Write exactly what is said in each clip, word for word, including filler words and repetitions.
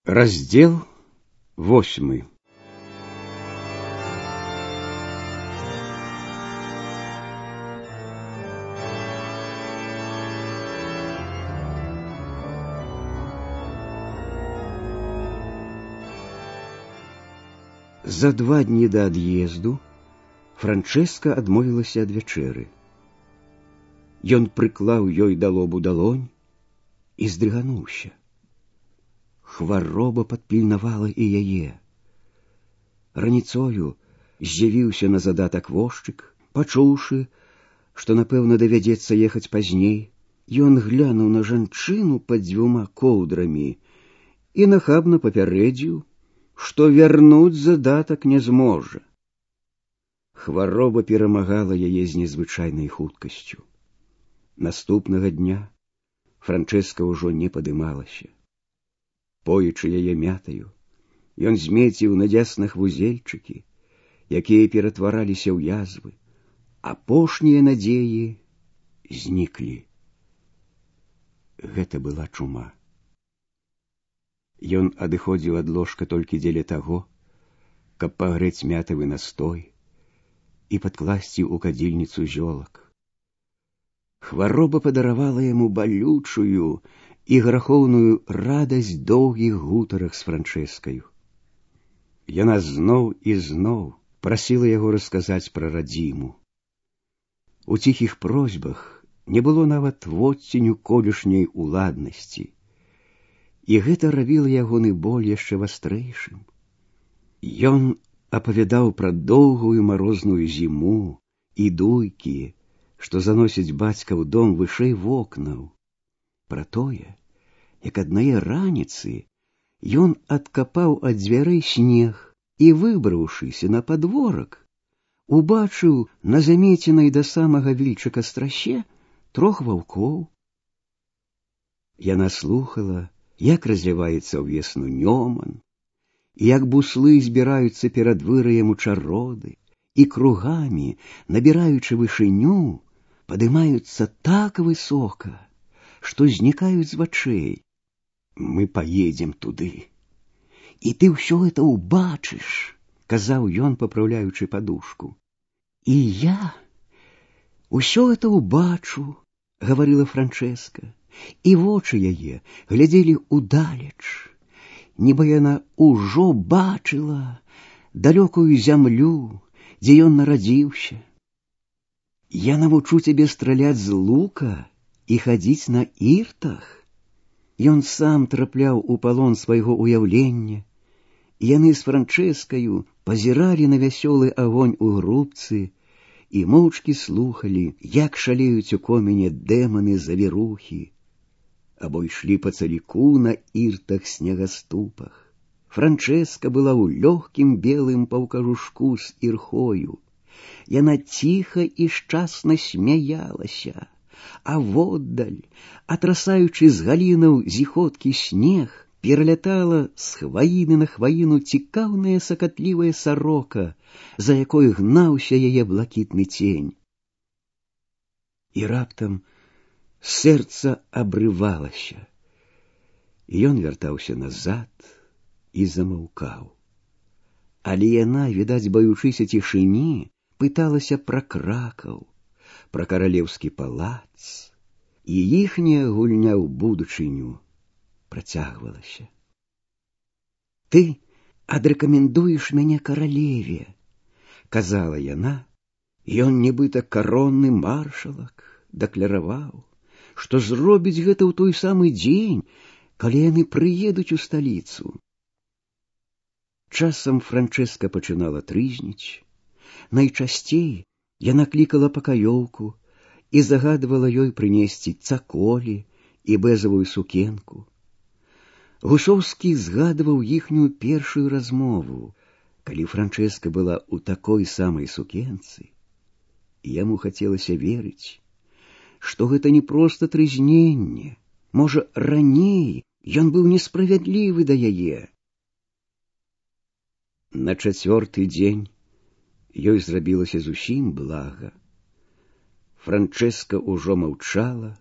Раздел восьмы. За два дні да ад'езду Франчэска адмовілася ад вячэры. Ён прыклаў ёй да лобу далонь і здрыгануўся. Хвароба падпільнавала і яе. Раніцою з'явіўся на задатак возчык, пачуўшы, што, напэўна, давядзецца ехаць пазней, ён глянуў на жанчыну пад дзвюма коўдрамі і нахабна папярэдзіў, што вярнуць задатак не зможа. Хвароба перамагала яе з незвычайнай хуткасцю. Наступнага дня Франчэска ўжо не падымалася. Поючы яе мятаю, ён змеціў на дзяснах вузельчыкі, якія ператвараліся ў язвы. Апошнія надзеі зніклі. Гэта была чума. Ён адыходзіў ад ложка толькі дзеля таго, каб пагрэць мятавы настой і падкласці ў кадзільніцу зёлак. Хвароба падаравала яму балючую і грахоўную радасць доўгіх гутарак з Франчэскаю. Яна зноў і зноў прасіла яго расказаць пра радзіму. У ціхіх просьбах не было нават водценю колішняй уладнасці, і гэта рабіла ягоны боль яшчэ вастрэйшым. Ён апавядаў пра доўгую марозную зіму і дуйкі, што заносіць бацька ў дом вышэй вокнаў, пра тое, як аднае раніцы ён адкапаў ад дзвярэй снег і, выбраўшыся на падворак, убачыў на замеценай да самага вільчыка страсе трох ваўкоў. Яна слухала, як разліваецца ўвесну нёман, як буслы збіраюцца перад выраем у чароды і кругамі, набіраючы вышыню, падымаюцца так высока, што знікаюць з вачэй. Мы поедем туды, і ты ўсё это убачыш, казаў ён, папраўляючы падушку. І я ўсё это убачу, гаварыла Франчэска, і вочы яе глядзелі ўдалеч, нібы яна ўжо бачыла далёкую зямлю, дзе ён нарадзіўся. Я навучу цябе страляць з лука і хадзіць на іртах. Ён сам трапляў у палон свайго ўяўлення, і яны з Франчэскаю пазіралі на вясёлы агонь у грубцы і моўчкі слухалі, як шалеюць у коміне дэманы-завірухі, або ішлі па цаліку на іртах-снегаступах. Франчэска была ў лёгкім белым паўкажушку з ірхою. Яна ціха і шчасна смяялася, а воддаль, атрасаючы з галінаў зіхоткі снег, пералятала з хваіны на хваіну цікаўная сакатлівая сарока, за якой гнаўся яе блакітны цень. І раптам сэрца абрывалася, і ён вяртаўся назад і замаўкаў. Але яна, відаць, баючыся цішыні, пыталася пра Кракаў, пра каралеўскі палац, і іхняя гульня ў будучыню працягвалася. Ты адрэкамендуеш мяне каралеве, казала яна, ён, нібыта каронны маршалак, дакляраваў, што зробіць гэта ў той самы дзень, калі яны прыедуць у сталіцу. Часам Франчэска пачынала трызніць. Найчасцей яна клікала пакаёўку і загадвала ёй прынесці цаколі і бэзавую сукенку. Гусоўскі згадваў іхнюю першую размову, калі Франчэска была ў такой самай сукенцы, і яму хацелася верыць, што гэта не проста трызненне, можа, раней ён быў несправядлівы да яе. На чацвёрты дзень ёй зрабілася зусім блага. Франчэска ўжо маўчала,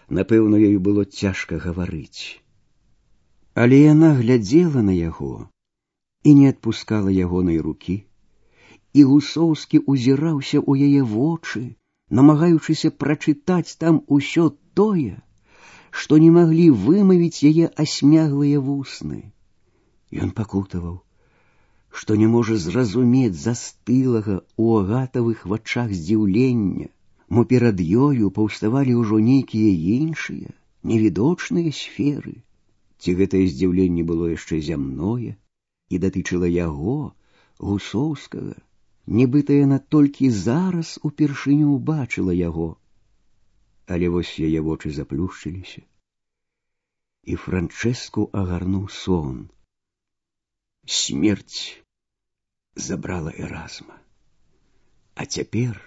напэўна, ёй было цяжка гаварыць. Але яна глядзела на яго і не адпускала ягонай рукі, і Гусоўскі узіраўся ў яе вочы, намагаючыся прачытаць там усё тое, што не маглі вымавіць яе асмяглыя вусны. Ён пакутаваў, што не можа зразумець застылага ў агатавых вачах здзіўлення, мо перад ёю паўставалі ўжо нейкія іншыя, невідочныя сферы. Ці гэтае здзіўленне было яшчэ зямное і датычыла яго, Гусоўскага, нібыта яна толькі зараз упершыню ўбачыла яго. Але вось яе вочы заплюшчыліся, і Франчэску агарнуў сон. Смерць забрала Эразма. А цяпер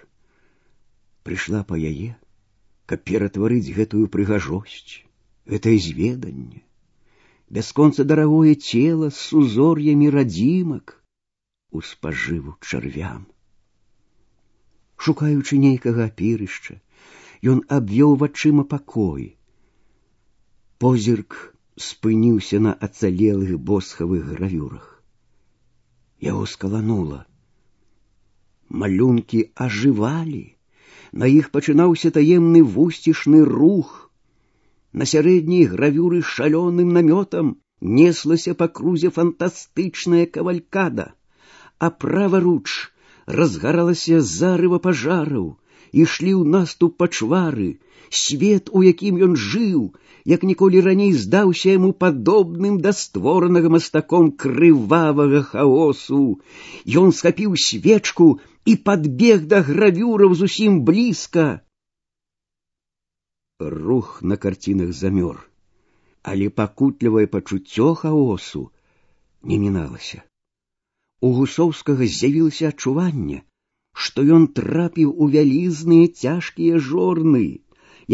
прыйшла па яе, каб ператварыць гэтую прыгажосць, гэтае зведанне, бясконца дарагое цела з узор'ямі радзімак у спажыву чарвям. Шукаючы нейкага апірышча, ён абвёў вачыма пакой. Позірк спыніўся на ацалелых босхавых гравюрах. Яго скаланула. Малюнкі ажывалі, на іх пачынаўся таемны вусцішны рух. На сярэдняй гравюры шалёным намётам неслася па крузе фантастычная кавалькада, а праваруч разгаралася зарыва пажараў, ішлі ў наступ пачвары. Свет, у якім ён жыў, як ніколі раней здаўся яму падобным да створанага мастаком крывавага хаосу. Ён схапіў свечку і падбег да гравюраў зусім блізка. Рух на карцінах замёр, але пакутлівае пачуццё хаосу не міналася. У Гусоўскага з'явілася адчуванне, што ён трапіў у вялізныя цяжкія жорны,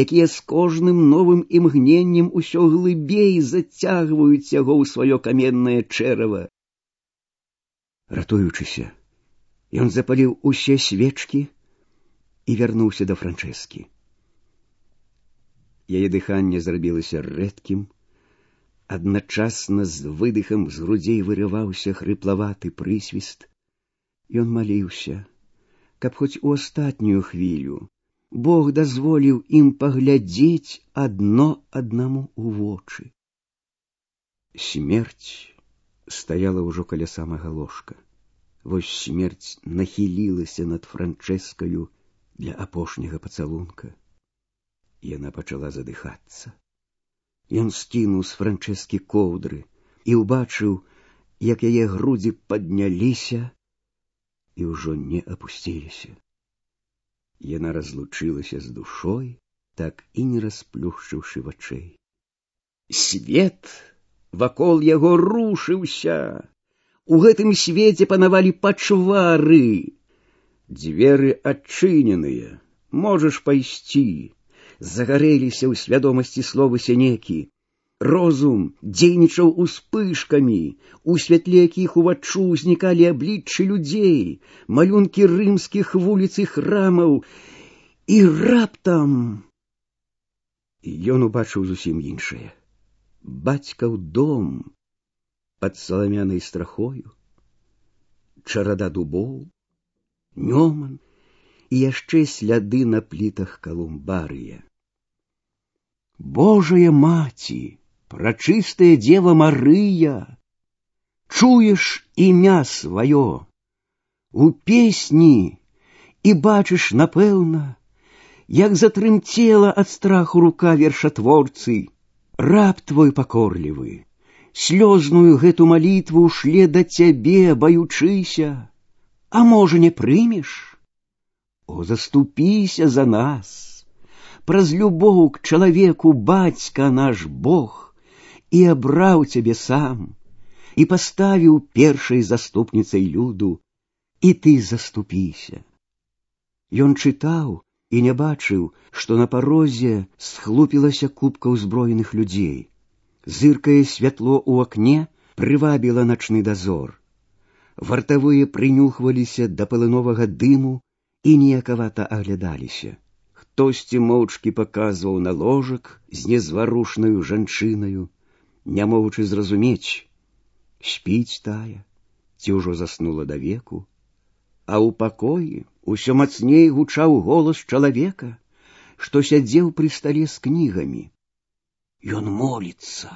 якія з кожным новым імгненнем усё глыбей зацягваюць яго ў сваё каменнае чэрава. Ратуючыся, ён запаліў усе свечкі і вярнуўся да Франчэскі. Яе дыханне зрабілася рэдкім, адначасна з выдыхам з грудзей вырываўся хрыплаваты прысвіст. Ён маліўся, каб хоць у астатнюю хвілю Бог дазволіў ім паглядзець адно аднаму ў вочы. Смерць стаяла ўжо каля самага ложка. Вось смерць нахілілася над Франчэскаю для апошняга пацалунка. Яна пачала задыхацца. Ён скінуў з Франчэскі коўдры і ўбачыў, як яе грудзі падняліся і ўжо не апусціліся. Яна разлучылася з душой, так і не расплюшчыўшы вачэй. Свет вакол яго рушыўся. У гэтым свеце панавалі пачвары. Дзверы адчыненыя, можаш пайсці. Загарэліся ў свядомасці словы сянекі. Розум дзейнічаў успышкамі, у святле якіх уваччу ўзнікалі абліччы людзей, малюнкі рымскіх вуліц і храмаў, і раптам ён убачыў зусім іншае. Бацькаў дом пад саламянай страхою, чарада дубоў, нёман і яшчэ сляды на плітах калумбарыя. Божая маці, прачыстая Дева Марыя, чуеш імя сваё у песні і бачыш, напэўна, як затрымцела ад страху рука вершатворцы. Раб твой пакорлівы, слёзную гэту малітву шле да цябе, баючыся, а можа не прымеш? О, заступіся за нас! Праз любоў к чалавеку бацька наш Бог і абраў цябе сам, і паставіў першай заступніцай люду, і ты заступіся. Ён чытаў і не бачыў, што на парозе схлупілася купка ўзброеных людзей. Зыркае святло ў акне прывабіла начны дазор. Вартавыя прынюхваліся да палыновага дыму і ніякавата аглядаліся. Хтосьці моўчкі паказваў на ложак з незварушнаю жанчынаю. не могучы зразумець, спіць тая, ці ўжо заснула да веку, а ў пакоі усё мацней гучаў голас чалавека, што сядзеў пры стале з кнігамі. Ён моліцца,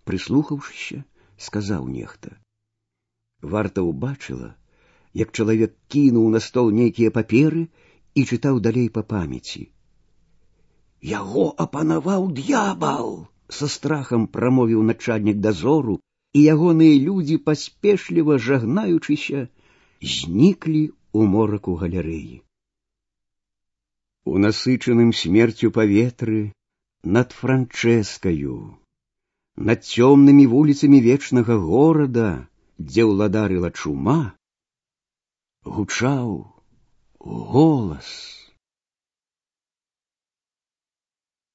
прыслухаўшыся, сказаў нехта. Варта ўбачыла, як чалавек кінуў на стол нейкія паперы і чытаў далей па памяці. Яго апанаваў д'ябал, са страхам прамовіў начальнік дазору, і ягоныя людзі, паспешліва жагнаючыся, зніклі ў мораку галерэі. У насычаным смерцю паветры над Франчэскаю, над цёмнымі вуліцамі вечнага горада, дзе ўладарыла чума, гучаў голас.